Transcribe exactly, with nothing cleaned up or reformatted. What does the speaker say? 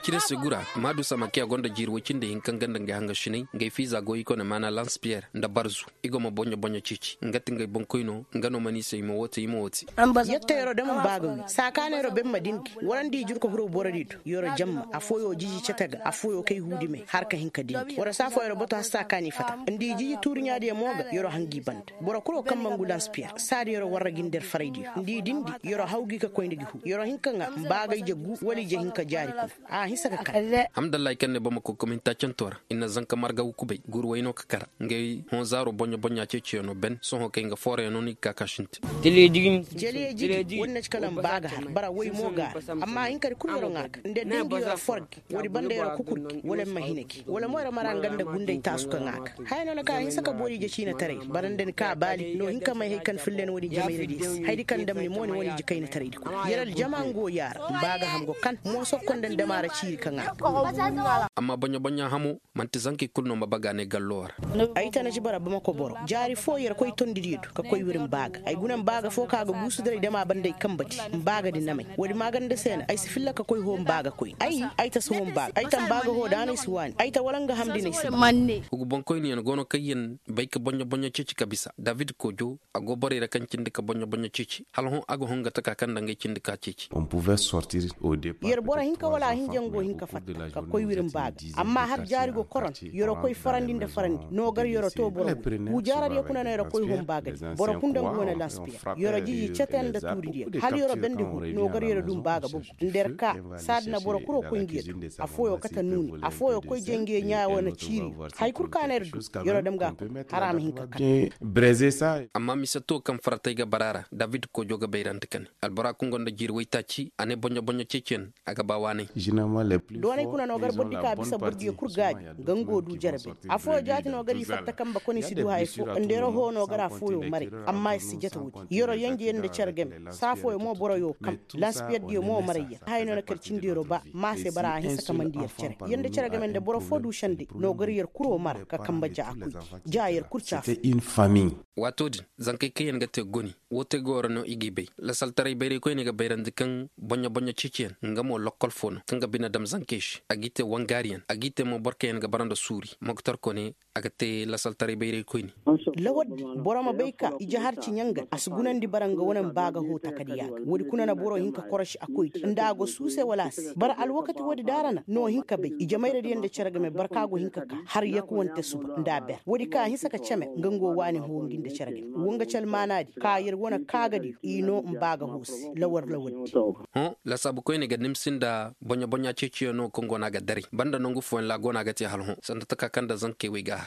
Cire se gura maadu sama kaŋ a gonda jiiri woy cindi hinka nga nda ngey hangasiney ngey fiiza go i kone maana lans piyer nda barzu. I go ma boɲo boɲo ceeci nga ti ngey boŋkoy no. Nga no mana i se i ma woo te i ma woo te. Yetta yeroo da man baa ga wi saa kaana yeroo ben ma dindi wala nda i jurka huru borodi do. Yeroo jamma affooyoo jiji cete ga affooyoo kay huudi me har ka hin ka dindi waroo saa foo yeroo bato har saa kaana i fata nda i jiji tuuriɲaadiyo mo ga yeroo hangi banda. Boro kul wo kaŋ mangu lans piyer saadi yeroo warra gi nda yer faraydiyo nda i dindi yeroo haw gi ka koy nda gi huu yeroo hin ka ŋaa mbaa ga ije gu wala ije hin ka jaari kuna. A hinsa ka kar. Hamdallahi kaŋ ne bamako kominta cantoo ra i na zanka marga wukubay guuru way no ka kara. Ngey hõ zaaro boɲo boɲa ceeciyaŋo ben sohõ kay nga foorayaŋo no i ga ka ka sintin. Jeliye jiji wala na ci kala ma ba ga har bara way mo ga ra. Amma hinkadi kul yoro ŋaa ga nda dindi yoro forgi woodi banda yoro kukur gi wala ma hina gi wala mo yoro mara nga nda gunday taasu ka ŋaa ga. Haya no na ka hinsa ka boori ije ciinataray bara nda ni ka baali no hin ka may hay kaŋ filla ni woodi jamayradiyo se hayadi kaŋ dam ni mo ni wane ije kaynataraydi kul. Yoro aljama ngo yaara mba ga ham go kan mooso konda ni damaara ciiri ka ŋaa ga. Amma boɲa boɲa hamo man'ti zankey kul no ma baga ne gallo ra. Ay tana ci bara bamako boro jaari foo yer koy tondidiyo do ka koy wir mba ga ay guna mba ga foo kaŋ a ga guusu diray dama banda ay kamba di mba ga di namay woodi maaganda se na ay si filla ka koy hoo mba ga koy ay ay ta si hoo mba ga ay ta mba ga hoo daanay si waani ay ta wala nga hamdi n'ay si. Hugu boŋkoyniyaŋ go no kaŋ yer bay ka boɲo boɲo ceeci ka bisa david koojo. A go borey ra kaŋ cindi ka boɲo boɲo ceeci hala hõ a ga hõ nga taka kaŋ nda ngey cindi ka ceeci. Yer boro hinka wala a hinja nga go hin ka fatta ka koy wir mba ga. Amma har jaari go koron yeroo koy farandi nda farandi no gar yeroo too boro woo jaaradiyo kuna no yeroo koy hõ mba ga di boro kul nda nga wane lans piyer yeroo jiji cete nda tuuridiyo hala yeroo bendi hõ no gar yeroo du mba ga bogu. Nda yer ka saadi na boro kul wo koy ngiyo do. Affooyoo kate nuuni affooyoo koy jay ngiyo ɲaa wane ciiriyo. Hay kul ka no yer du yeroo dam ga a koy hara a ma hin ka kar. Amma mise to kaŋ faratey ga bara a ra david koojo ga bayrandi ka ne albora kaŋ go nda jiiri waytaaci a ne boɲo boɲo ceeciyaŋ. A ga ba waanay. Doonay kuna no gar bordi ka bisa bordiyo kul gaabi. Nga ngo du jere bay affooyoo jaati no gar i fatta kamba kone si du haya foo nda yeroo hoo no gar affooyoo maray. Amma ir si jate woodi yeroo yenjeyaŋ nda cere game saa fooyoo mo boroyoo kam. Lansipiyerdiyo mo marayyaŋ haya no na kar cindi yeroo ba. Maa se bara a hinsa ka mandi yer cere yer nda cere game nda boro foo du sende no gar yer kuroo mara ka kamba ja a koy ja yer kul caafu. Waatoo din zankey kaŋyaŋ ga te goni. Woo te gooro no i g'i bay lasaltaray bayraykoyney ga bayrandi kaŋ boɲo boɲo ceeciyaŋ nga mo lokkol foo no kaŋ ga bine dam zankey se a g'i te wangaariyaŋ a g'i te mo boro kaŋyaŋ ga bara nda suuri moktor kone. A ga te lasaltaray bayraykoyni. Lawal din boro ma bay ka ije har ciɲaŋ ga a si gunandi bara nga wane ma ba ga hoo takadiya ga woodi kuna na boro hin ka korosi a koydi nda a go suuse wala a si bara alwakati woodi daara na no hin ka bay ije mayradiyaŋ nda cere game bara kaŋ a go hin ka ka har yakuwante suba nda a ber woodi kaŋ a hinsa ka ceme nga ngo waani hoo ngi nda cere game woo nga ci almaanaadi ka yer wane kaagadiyo i noo mba ga hoo se lawar lawar di. Hõ lasaabu koyne ga nimsi nda boɲa boɲa ceeciyaŋo kaŋ go no a ga daray banda nangu fooyaŋ ra a go no a ga te hala hõ sanda taka kaŋ nda zankey wey ga a har.